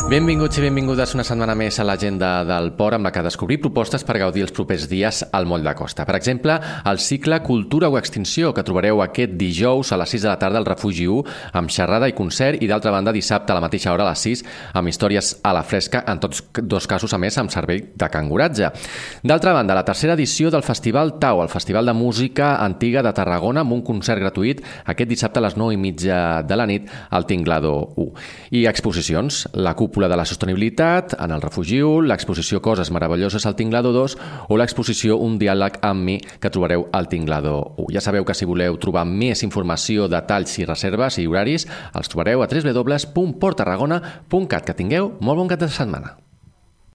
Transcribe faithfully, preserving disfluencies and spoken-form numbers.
Benvinguts i benvingudes una setmana més a l'agenda del Port, amb la que descobrir propostes per gaudir els propers dies al Moll de Costa. Per exemple, el cicle Cultura o Extinció, que trobareu aquest dijous a les sis de la tarda al Refugi u, amb xerrada i concert, i d'altra banda dissabte a la mateixa hora a les sis, amb històries a la fresca, en tots dos casos a més amb servei de canguratge. D'altra banda, la tercera edició del Festival Tau, el Festival de Música Antiga de Tarragona, amb un concert gratuït aquest dissabte a les nou i mitja de la nit al Tinglado u. I exposicions, la cúpula de la sostenibilitat en el Refugi u, l'exposició Coses meravelloses al Tinglado dos o l'exposició Un diàleg amb mi que trobareu al Tinglado u. Ja sabeu que si voleu trobar més informació, detalls i reserves i horaris, els trobareu a w w w punt port tarragona punt cat. Que tingueu molt bon cap de setmana.